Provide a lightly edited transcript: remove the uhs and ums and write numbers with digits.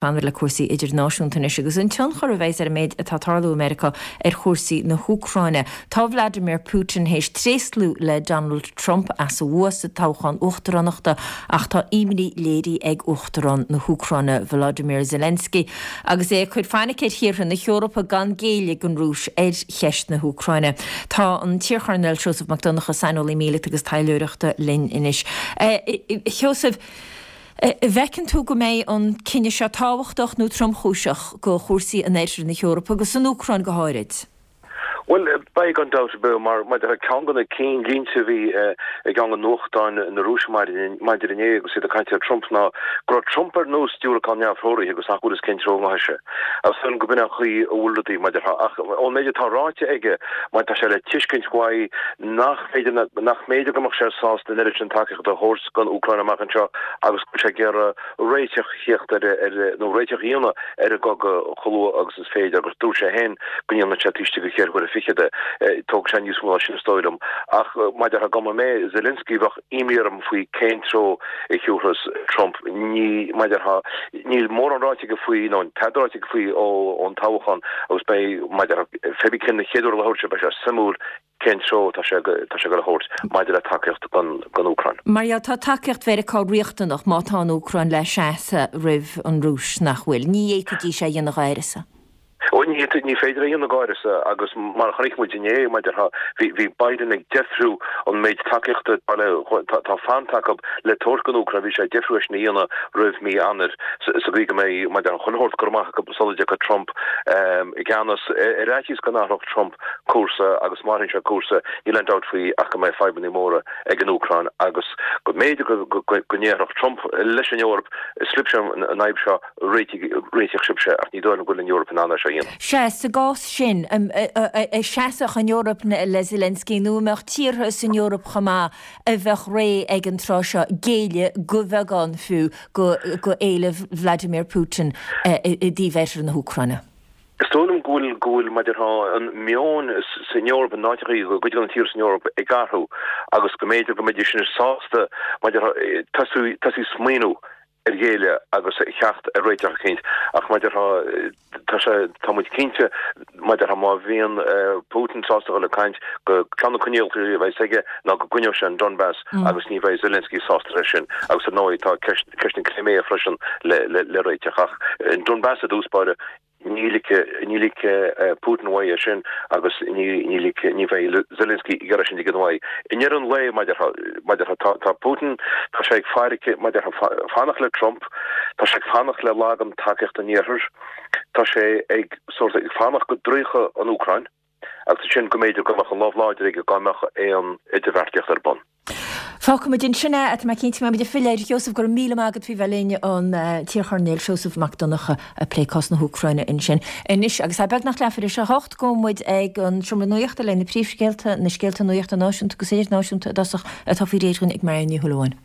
Fanfaimid le cúrsaí idirnáisiúnta anois agus an tionchar a bheas ar an méid atá ag tarlú i Meiriceá ar chúrsaí na hÚcráine. Tá Vladimir Putin théis tréaslú le Donald Trump as a bhua sa toghchán uachtaránachta ach tá imní léirithe ag Uachtarán na hÚcráine Volodymyr Zelensky agus é ag cur fainic ar thíortha na hEorpa gan géilleadh don Rúis ar cheist na hÚcráine. Tá an t-iarchoirnéal Seosamh Mac Donncha, saineolaí míleata agus taidhleoireachta linn anois. A Sheosaimh, An bhfeiceann tú go mbeidh an cinneadh seo tábhachtach nó tromchúiseach do chúrsaí in oirthear na hEorpa agus san Úcráin go háirid? Bhuel, beidh gan dabht ar bith, mar maidir le ceann de na cinnlínte a bhí i gceann de nuachtáin na Rúise maidin inné agus iad ag caint ar Trump ná go raibh Trump ar nós diúracán neamhthreoraithe agus nach bhfuil fhios cén treo a ngabhfaidh sé. Agus dóigh liom go b'in an chaoi a bhfuil rudaí maidir ach ón méid atá ráite aige, mar tá sé le tuiscint uaidh nach féidir nach mb'fhéidir go mbeadh sé sásta an oiread sin tacaíochta a thabhairt don Úcráin amach anseo agus go bhfuil sé ag iarraidh réiteach a theacht ar ar nó réiteach a dhéanamh ar an gcogadh chomh luath agus is féidir agus dúirt sé féin go ndéanfadh sé taobh istigh de cheithre huaire fichead é. Tógfaidh sé níos mó ná sin is dóigh liom. Ach mar a déarfá dá mba mé Zelensky bheadh imní orm faoi cén treo a thiúrfas Trump. Ní mar a déarfá níl mórán ráite aige faoi nó tada ráite aige faoi ón toghchán agus beidh mar a déarfá pé bí cén chéad uair a labhróidh sé beidh sé suimiúil cén treo atá sé atá sé ag dul a thabhairt maidir le tacaíocht don don Úcráin. Mar gheall, tá tacaíocht Mheiriceá riachtanach má tá an Úcráin le seasamh roimh an Rúis, nach bhfuil? Ní fhéadfaidís é a dhéanamh d'áireasa. Ó, ní ní féidir é a dhéanamh d'áireasa agus mar a chonaic muid inné, mar a déarfá, bhí bhí Biden ag deifriú an méid tacaíochta atá le tá fanta acu le tabhairt don Úcráin, bhí sé ag deifriú é sin a dhéanamh roimh mí Eanáir sa sa gcaoi go mbeidh mar a déarfá chuile shórt curtha amach acu sula dtiocfaidh Trump i gceannas. Ar fhaitíos go n-athródh Trump cúrsa agus má athraíonn sé cúrsa, níl aon dabht faoi ach go mbeidh fadhbanna móra ag an Úcráin agus go mb'fhéidir go ndéarfadh Trump leis an Eoraip, is libhse an fhadhb seo, réitigh sibhse ach ní dóigh liom go bhfuil an Eoraip in ann é seo a dhéanamh. Sea, sa gcás sin, an seasfadh an Eoraip le Zelensky nó an mbeadh tíortha san Eoraip chomh maith a bheadh réidh ag an tráth seo géilleadh de bheagán fiú go éilimh Vladimir Putin i dtaobh oirthear na hÚcráine? Is dóigh liom go bhfuil, go bhfuil, mar a déarfá, an meon san Eoraip, in áiteachaí, i gcuid de na tíortha san Eoraip ag athrú agus go mb'fhéidir go mbeidís anois sásta, mar a déarfá, tosú, tosú smaoineamh ar ghéilleadh agus a theacht ar réiteach eicínt. Ach mar a déarfá, tá sé, tá muid cinnte, mar a déarfá, má bhíonn Putin sásta a dhul ag caint, go ceann de na coinníollacha a bheas aige ná go gcoinneoidh sé an Donbas agus ní bheidh Zelensky sásta leis sin. Agus ar ndóigh tá ceist, ceist na Crimea freisin le, le, le réiteach. Ach an Donbas i dtús báire, Ní ligfidh, ní ligfidh Putin uaidh é sin agus ní, ní ligfidh, ní bheidh Zelensky ag iarraidh sin a ligean uaidh. I ndeireadh an lae, mar a déarfá, mar a déarfá, tá, tá Putin, tá sé ag faire, mar a déarfá, fanacht le Trump, tá sé ag fanacht le lagan tacaíocht an Iarthair, tá sé ag sórt, ag fanacht go dtroidfeadh an Úcráin agus ansin go mb'fhéidir go mbeadh an lámh láidir aige dá mbeadh aon idirbheartaíocht ar bun. Fágfaimid ansin é, tá mé cinnte go mbeimid ag filleadh air. A Sheosaimh, go raibh míle maith agat faoi bheith linn, an t-iarchoirnéal Seosamh Mac Donncha ag plé cás na hÚcráine ansin. Anois, agus é beagnach leathuair tar éis a hocht, gabhfaidh muid ag an seomra nuachta le na príomhscéalta, na scéalta nuachta náisiúnta agus idirnáisiúnta i dtosach, atá faoi réir dhúinn ag Marion Ní Shúilleabháin.